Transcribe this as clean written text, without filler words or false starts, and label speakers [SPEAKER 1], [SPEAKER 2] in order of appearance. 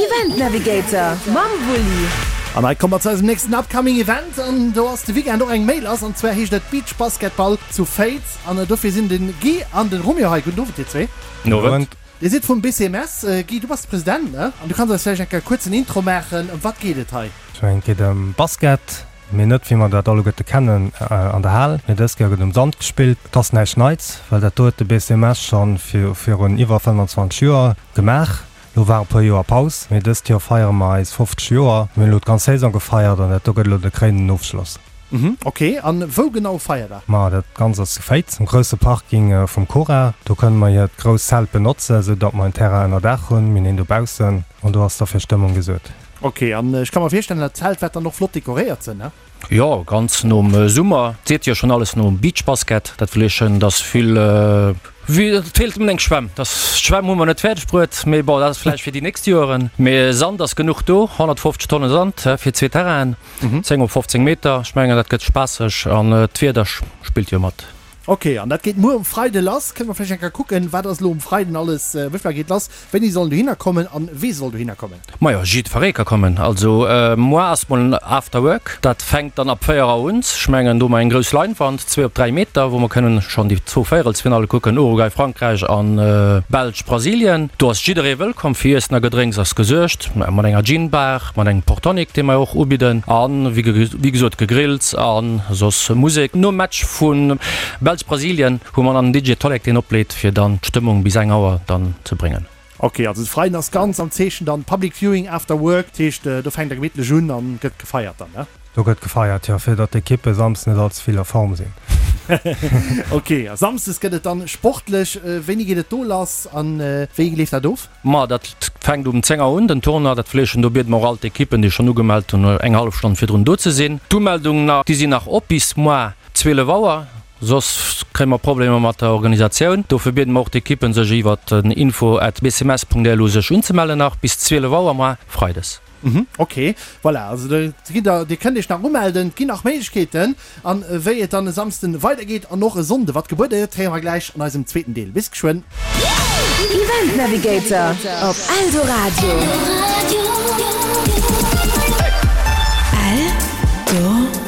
[SPEAKER 1] Event Navigator mam Wulli.
[SPEAKER 2] An hei komme mer zu eisem nächsten upcoming Event an do ass de Weekend och eng Méi lass an zwar heescht et Beach Basketball zu Féiz an dofir sinn den Guy an den Romeo hei. Gudden Owend dir zwee.
[SPEAKER 3] Gudden Owend.
[SPEAKER 2] Dir sidd vum BCMS. Guy, du bass de President, ne? An du kanns eis vläicht eng Kéier kuerz en Intro maachen. Ëm wat geet et hei?
[SPEAKER 3] Ech mengen et geet ëm Basket, mee net wéi mer dat alleguerte kennen an der Hal, mee dës Kéier gëtt um Sand gespillt. Et ass näischt Neits, well dat do huet de BCMS schonn virun iwwer 25 Joer gemaach. Lo war e puer Joer Paus, mee dëst Joer feiere mer eis 50 Joer. Mir hunn elo d'ganz Saison gefeiert an dat do gëtt elo de kréinenden Ofschloss.
[SPEAKER 2] Mhm, ok. An wou genau feiert der?
[SPEAKER 3] Ma dat Ganzt ass zu Féiz, um grousse Parking vum Cora. Do kënne mer hiert grousst Zelt benotzen, esou datt mer en Terrain ënner Daach hunn. Mir hunn een dobaussen an do ass da fir Stëmmung gesuert.
[SPEAKER 2] Ok, an ech ka mer virstellen, dat Zelt wäert dann och flott dekoréiert sinn, ne?
[SPEAKER 4] Jo, ganz nom Summer. Et seet jo schon alles nom Beachbasket. Dat wëll heeschen, dass vill, wéi, et feelt nëmmen eng Schwämm. Dass, d'Schwämm hu mer net fäerdeg bruet, mee bon, dat ass vläicht fir déi nächst Joeren. Mee Sand ass genuch do, 150 Tonnen Sand fir zwee Terrainen, 10 op 15 Meter. Ech mengen, dat gëtt spaasseg an d'Wieder spillt jo mat.
[SPEAKER 2] Ok, an dat geet muer um Freide lass. Kënne mer vläicht eng Kéier kucken, wat ass elo um Freiden alles, wéi vill geet lass, wéini sollen dohinner kommen an wee soll dohinner kommen?
[SPEAKER 4] Majo, jiddweree ka kommen. Also muer ass mol en After Work, dat fänkt dann ab 4 Auer un. Ech mengen, do hu mer eng grouss Leinwand, zwee op 3 Meter, wou mer kënnen schonn déi zwou Véierelsfinalle kucken, Uruguay, Frankräich an Belsch, Brasilien. Do ass jidderee wëllkomm, fir Iessen a Gedrénks ass gesuergt, mat enger Gin Bar, mat engem Portonic, dee mer och ubidden an wéi gesot Gegrills a soss Musek. Nom Match vu Belsch-Brasilien hu mer dann den DJ Tolek deen opleet fir dann d'Stëmmung bis eng Auer dann ze bréngen.
[SPEAKER 2] Ok, also de Freiden ass ganz am Zeechen dann Public Viewing after work, dat heescht do fänkt der gemittlech un an gëtt gefeiert dann, ne?
[SPEAKER 3] Do gëtt gefeiert, jo, fir datt d'Ekippe Samsdes net all ze vill a Form sinn.
[SPEAKER 2] Ok, a Samsdes gëtt et dann sportlech. Wéini geet et do lass an wéi leeft dat of?
[SPEAKER 4] Ma dat fänkt um 10 Auer un, den Tournoi. Dat Fleeschen, do biede mer och all d'Ekippen, déi schonn ugemellt hunn, eng hallef Stonn virdrun do ze sinn. D'Umeldungen nach, déi sinn nach op bis moar 12 Auer, soss kréie mer Problemer mat der Organisatioun. Dofir biede mer och d'Ekippen, sech iwwer den info at bcms.lu sech unzemellen nach bis 12 Auer moar Freides.
[SPEAKER 2] Mhm, ok, voilà, also do gitt der, dir kënnt iech nach umelden, et ginn nach Méiglechkeeten. An wéi et dann e Samsden weidergeet an och e Sonnde wat gebuede gëtt, héiere mer gläich an eisem zweeten Deel. Bis geschwënn.
[SPEAKER 1] Event Navigator op Eldoradio. Eldoradio.